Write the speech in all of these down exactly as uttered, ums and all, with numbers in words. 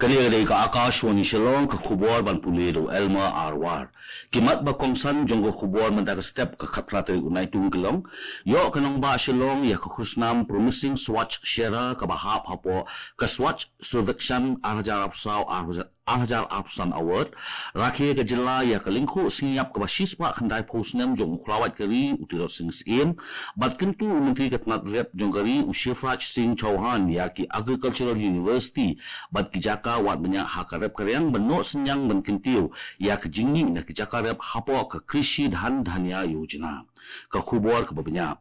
Kane ka dei ka Akashvani Shillong, ka khubor ban pule da u Elmer Arwar. Ki mat ba kongsan jong ka khubor mynta ka step ka khatphra tarik u Naitung ki long: Ïoh ka nongbah Shillong ïa ka khusnam Promising Swachh Shehar kaba hap hapoh ka Swachh Survekshan ar hajar arphew saw ar hajar arphew san Award. Rakhe ka jylla ïa ka lyngkhuh sngap kaba shispah khyndaiphew snem jong u khlawait ka ri u Tirot Sing Syiem. Bad kyntu u Myntri ka tnat rep jong ka ri u Shivraj Singh Chouhan ïa ki Agricultural University bad ki jaka wad bniah ha ka rep ka riang ban noh synñiang ban kyntiew ïa ka jingmih na ki jaka rep hapoh ka Krishi Dhan Dhanya Yojana. Ka khubor kaba bniah.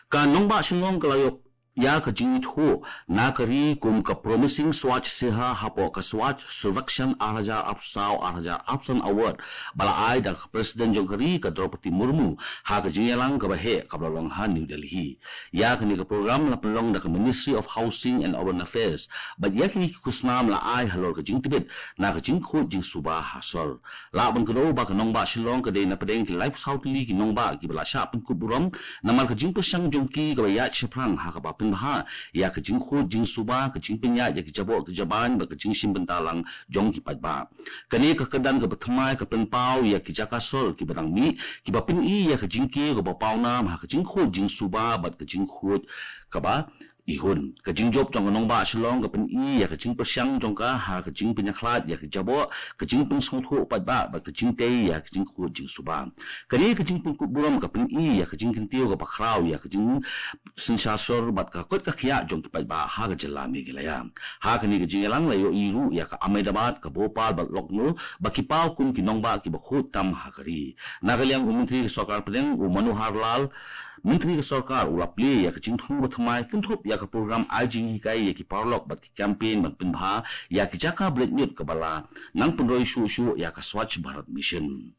Ka nongbah Shillong ka la ïoh ïa ka jingithuh na ka ri kum ka Promising Swachh Shehar hapoh ka Swachh Survekshan ar hajar arphew saw ar hajar arphew san Award ba la ai da ka President jong ka ri ka Droupadi Murmu ha ka jingïalang kaba heh kaba la long ha New Delhi. Ïa kane ka program la pynlong da ka Ministry of Housing and Urban Affairs bad ïa kine ki khusnam la ai halor ka jingtbit na ka jingkhuid jingsuba ha sor. Lah ban kdew ba ka nongbah Shillong ka dei na pdeng ki laiphew saw tylli ki nongbah kiba la shah pynkup burom namar ka jingpyrshang jong ki kaba ïaid shaphrang ha kaba pynbha ïa ka jingkhuid jingsuba, ka jingpynïaid ïa ki jaboh ki jabieng bad ka jingshim bynta lang jong ki paidbah. Kane ka kyrdan kaba thymmai ka pynpaw ïa ki jaka sor kiba dang mih, kiba pyni ïa ka jingkiew kaba pawnam ha ka jingkhuid jingsuba bad ka jingkhuid kaba ihun. Ka jingjop jong ka nongbah Shillong ka pyni ïa ka jingpyrshang jong ka ha ka jingpynïakhlad ïa ka jaboh, ka jingpynsngewthuh paidbah bad ka jingtei ïa ka jingkhuid jingsuba. Kane ka jingpynkup burom ka pyni ïa ka jingkyntiew kaba khraw ïa ka jingsynshar sor bad ka koit ka khiah jong ki paidbah ha ka jylla Meghalaya. Ha kane ka jingïalang la ïohi ruh ïa ka Ahmedabad, ka Bhopal bad Lucknow ba ki paw kum ki nongbah kiba khuid tam ha ka ri. Na ka liang u Myntri ka Sorkar Pdeng u Manohar Lal, Myntri ka Sorkar u la plie ïa ka jingthmu ba thymmai kynthup ïa ka program ai jinghikai ïa ki paralok bad ki campaign ban pynbha ïa ki jaka bret ñiut kaba la nang pynroi shuh shuh ïa ka Swachh Bharat Mission.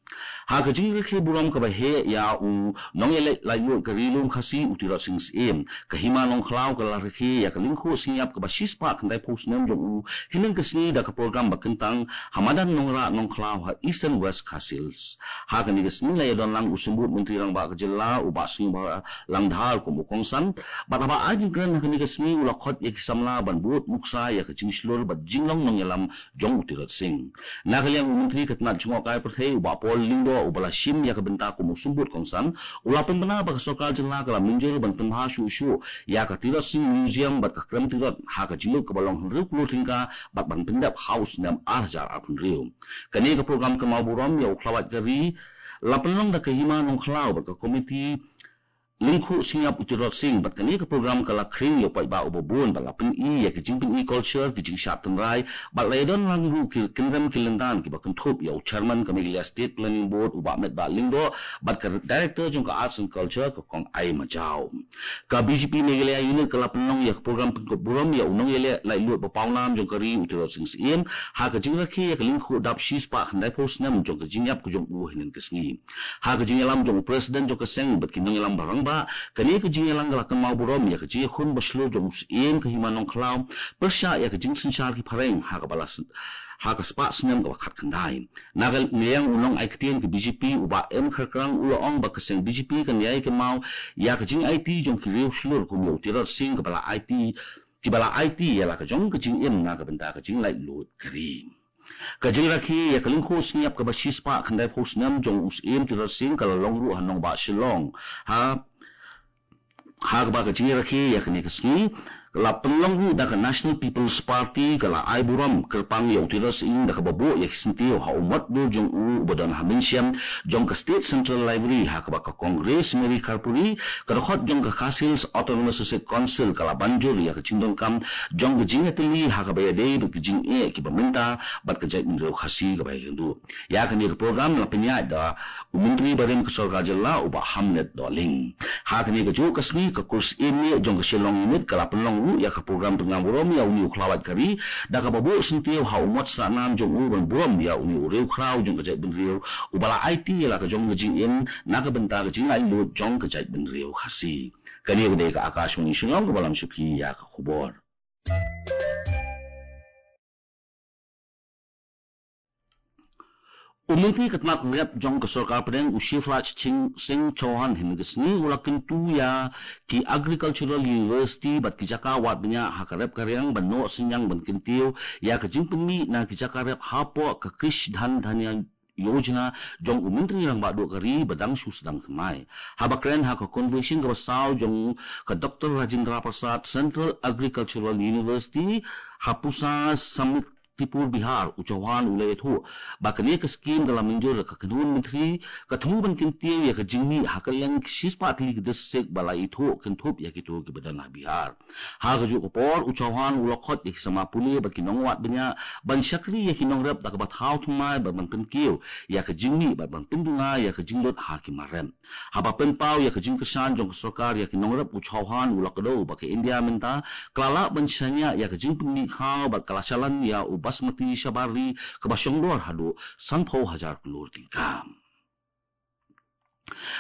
Ha ka jingrakhe burom kaba heh ïa u nongïaleh laitluid ka Ri Lum Khasi u Tirot Sing Syiem, ka Hima Nongkhlaw ka la rakhe ïa ka lyngkhuh sngap kaba shispah khyndaiphew snem jong u hynnin ka sngi da ka program ba kyntang ha madan Nongrah Nongkhlaw ha Eastern West Khasi Hills. Ha kane ka sngi la ïadon lang u Symbud Myntri Rangbah ka jylla u Bah Sniawbhalang Dhar kum u kongsan bad haba ai jingkren ha kane ka sngi u la khot ïa ki samla ban bud nuksa ïa ka jingshlur bad jinglong nongïalam jong u Tirot Sing. Na ka liang u Myntri ka tnat jngohkai pyrthei u Bah Paul Lyngdoh uba la shim ïa ka bynta kum u Symbud kongsan u la pynbna ba ka Sorkar Jylla ka la mynjur ban pynbha shuh shuh ïa ka Tirot Sing Museum bad ka Krem Tirot ha ka jinglut kaba long hynriew klur tyngka bad ban pyndep ha u snem ar hajar arphew hynriew. Kane ka program kynmaw burom ïa u khlawait ka ri la pynlong da ka Hima Nongkhlaw bad ka komiti lyngkhuh sngap u Tirot Sing bad kane ka program ka la khring ïa u paidbah uba bun bad la pyni ïa ka jingpyni culture, ka jingshad tynrai bad la ïadon lang ruh ki kynrem ki lyndan kiba kynthup ïa u Chairman ka Meghalaya State Planning Board u Bah Metbah Lyngdoh bad ka Director jong ka Arts and Culture ka Kong Ai Majaw. Ka B J P Meghalaya Unit ka la pynlong ïa ka program pynkup burom ïa u nongïaleh laitluid ba pawnam jong ka ri u Tirot Sing Syiem ha ka jingrakhe ïa ka lyngkhuh dap shispah khyndaiphew snem jong ka jingïap ka jong u hynnin ka sngi. Ha ka jingïalam jong u President jong ka seng bad ki nongïalam ba rangbah, kane ka jingïalang ka la kynmaw burom ïa ka jingïakhun ba shlur jong u Syiem ka Hima Nongkhlaw pyrshah ïa ka jingsynshar ki phareng ha kaba la sn- ha ka spah snem kaba khatkhyndai. Na ka liang u nongai ktien ka B J P u Bah M Kharkrang u la ong ba ka seng B J P kan ïai kynmaw ïa ka jingaiti jong ki riew shlur kum ïa u Tirot Sing kaba la aiti kiba la aiti ïa la ka jong ka jingim na ka bynta ka jinglaitluid ka ri. Ka jingrakhe ïa ka lyngkhuh sngap kaba shispah khyndaiphew snem jong u Syiem Tirot Sing ka la long ruh ha nongbah Shillong. Ha ha kaba ka jingrakhe ïa kane ka sngi la pynlong ruh da ka National People's Party ka la ai burom kyrpang ïa u Tirot Sing da kaba buh ïa ki syntiew ha u mot dur jong u uba don ha mynsiem jong ka State Central Library ha kaba ka Kong Grace Mary Kharpuri ka dkhot jong ka Khasi Hills Autonomous District Council ka la ban jur ïa ka jingdonkam jong ka jingïatylli ha kaba ïadei bad ka jingeh kiba mynta bad ka jaitbynriew Khasi kaba ïakynduh. Ïa kane ka program la pynïaid da u Myntri barim ka Sorkar Jylla u Bah Hamlet Dohling. Ha kane kajuh ka sngi ka Kur Syiem Mieh jong ka Shillong Unit ka la pynlong ruh ïa ka program pynkynmaw burom ïa une u khlawait ka ri da kaba buh syntiew ha u mot sahnam jong u ban burom ïa une u riewkhraw jong ka jaitbynriew uba la aiti ïa la ka jong ka jingim na ka bynta ka jinglaitluid jong ka jaitbynriew Khasi. Kane ka dei ka Akashvani Shillong kaba lam sha phi ïa ka khubor. U Myntri ka tnat rep jong ka sorkar pdeng u Shivraj Singh Chouhan hynne ka sngi u la kyntu ïa ki agricultural university bad ki jaka wad bniah ha ka rep ka riang ban noh synñiang ban kyntiew ïa ka jingpynmih na ki jaka rep hapoh ka Krishi Dhan Dhaanya Yojana jong u Myntri Rangbah Duh ka ri ba dang shu sdang thymmai. Haba kren ha ka convention kaba saw jong ka Doctor Rajendra Prasad Central Agricultural University ha Pusa Samit Tripur Bihar, u Chouhan u la ïathuh ba kane ka skim ka la mynjur da ka kynhun myntri, ka thmu ban kyntiew ïa ka jingmih ha kylleng ki shispah tylli ki district ba la ithuh kynthup ïa kito kiba don ha Bihar. Ha kajuh ka por u Chouhan u la khot ïa ki samla pule bad ki nongwad bniah ban shakri ïa ki nongrep da kaba thaw thymmai bad ban pynkiew ïa ka jingmih bad ban pynduna ïa ka jinglut ha ki mar rep. Haba pynpaw ïa ka jingkyrshan jong ka sorkar ïa ki nongrep, u Chouhan u la kdew ba ka India mynta ka la lah ban shaniah ïa ka jingpynmih khaw bad ka la shalan ïa u basmati shabar ri kaba shongdor haduh sanphew hajar klur tyngka.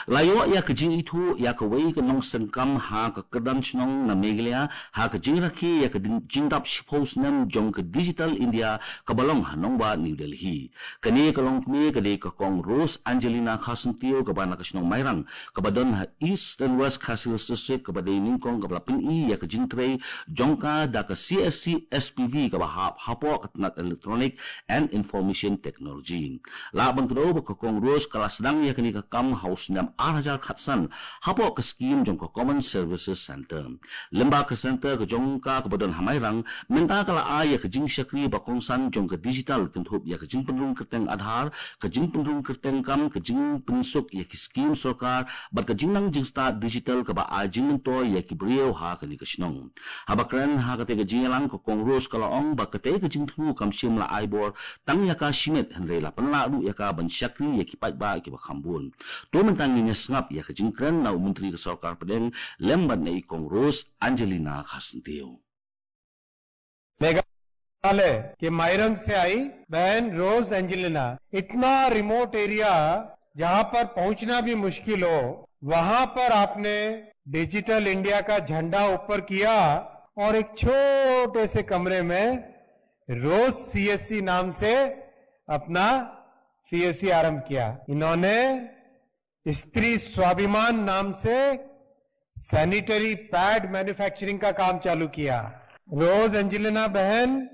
La ïoh ïa ka jingithuh ïa kawei ka nongseng kam ha ka kyrdan shnong na Meghalaya ha ka jingrakhe ïa ka jingdap shiphew snem jong ka Digital India kaba long ha nongbah New Delhi. Kane ka longkmie ka dei ka Kong Rose Angelina Kharsyntiew kaba na ka shnong Mairang kaba don ha East and West Khasi Hills District, kaba dei nyngkong kaba la pyni ïa ka jingtrei jong ka da ka CSC SPV kaba hap hapoh ka tnat Electronic and Information Technology. Lah ban kdew ba ka Kong Rose ka la sdang ïa kane ka kam ha u snem ar hajar khatsan hapoh ka skim jong ka Common Services Centre. Lyngba ka centre ka jong ka kaba don ha Mairang, mynta ka la ai ïa ka jingshakri ba kongsan jong ka digital kynthup ïa ka jingpynrung kyrteng Aadhaar, ka jingpynrung kyrteng kam, ka jingpynsuk ïa ki skim sorkar bad ka jingnang jingstad digital kaba ai jingmyntoi ïa ki briew ha kane ka shnong. Haba kren ha katei ka jingïalang, ka Kong Rose ka la ong ba katei ka jingthmu kam shym la ai bor tang ïa ka shimet, hynrei la pynlah ruh ïa ka ban shakri ïa ki paidbah kiba kham bun. To mynta ngin ïa sngap ïa ka jingkren na u Myntri ka Sorkar Pdeng lem bad na i Kong Rose Angelina Kharsyntiew. मेघालय के माइरंग से आई बहन रोज एंजेलिना। इतना रिमोट एरिया, जहां पर पहुंचना भी मुश्किल हो, वहां पर आपने डिजिटल इंडिया का झंडा ऊपर किया और एक छोटे से कमरे में रोज सीएससी नाम से अपना सीएससी आरंभ किया। इन्होंने स्त्री स्वाभिमान नाम से सैनिटरी पैड मैन्युफैक्चरिंग का काम चालू किया। रोज एंजेलिना बहन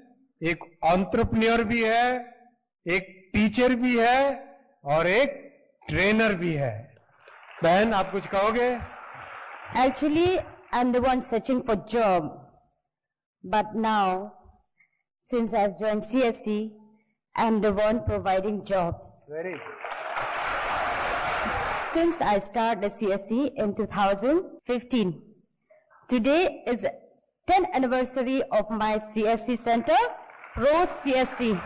एक एंटरप्रेन्योर भी है, एक टीचर भी है और एक ट्रेनर भी है। बहन, आप कुछ कहोगे? Actually, I'm the one searching for job. But now, since I've joined C S C, I'm the one providing jobs. Very good. Since I started the C S C in two thousand fifteen, today is tenth anniversary of my C S C center, Rose C S C.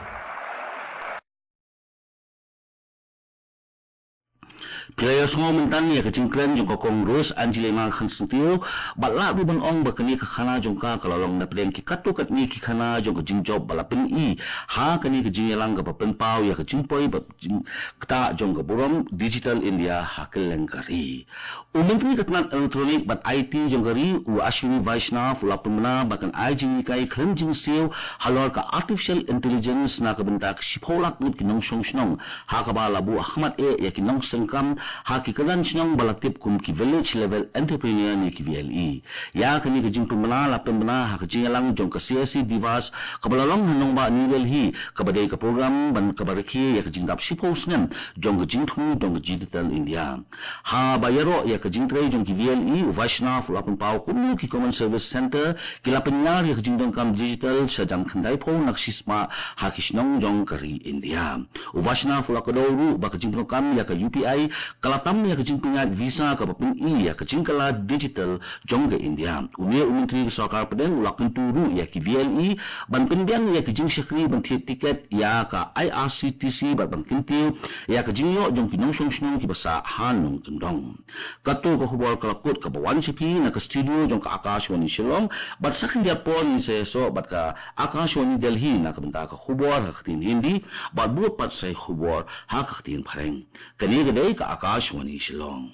Phi la ïohsngew mynta ïa ka jingkren jong ka Kong Rose Angelina Kharsyntiew, bad lah ruh ban ong ba kane ka khana jong ka ka la long na pdeng ki katto katne ki khana jong ka jingjop ba la pyni ha kane ka jingïalang kaba pynpaw ïa ka jingpoi bad jingktah jong ka burom Digital India ha kylleng ka ri. U Myntri ka tnat Electronic bad I T jong ka ri, u Ashwini Vaishnaw, u la pynbna ba kan ai jinghikai khlem jingsiew halor ka artificial intelligence na ka bynta ka shiphew lak ngut ki nongshong shnong, ha kaba la buh ha khmat eh ïa ki nongseng kam ha ki kyrdan shnong ba la tip kum ki village level entrepreneur ne ki V L E. Ïa kane ka jingpynbna la pynbna ha ka jingïalang jong ka C S C Diwas kaba la long ha nongbah New Delhi, kaba dei ka program ban kaba rakhe ïa ka jingdap shiphew snem jong ka jingthmu jong ka Digital India. Haba ïaroh ïa ka jingtrei jong ki V L E, u Vaishnaw u la pynpaw kumno ki Common Service Centre ki la pynïar ïa ka jingdonkam digital sha jan khyndai phew na ka shispah ha ki shnong jong ka ri India. U Vaishnaw u la kdew ruh ba ka jingpyndonkam ïa ka U P I ka la tam ïa ka jingpynïaid visa kaba pyni ïa ka jingkylla digital jong ka India. Une u Myntri ka Sorkar Pdeng u la kyntu ruh ïa ki V L E ban pynbiang ïa ka jingshakri ban thied tiket ïa ka I R C T C bad ban kyntiew ïa ka jingïoh jong ki nongshong shnong kiba sah ha nongkyndong. Kato ka khubor ka la kut kaba wan sha phi na ka studio jong ka Akashvani Shillong, bad sa khyndiat por ngin sa ïasoh bad ka Akashvani Delhi na ka bynta ka khubor ha ka ktien Hindi, bad bud pat sa ïa ka khubor ha ka ktien Phareng. Kane ka dei ka Akashvani Shillong.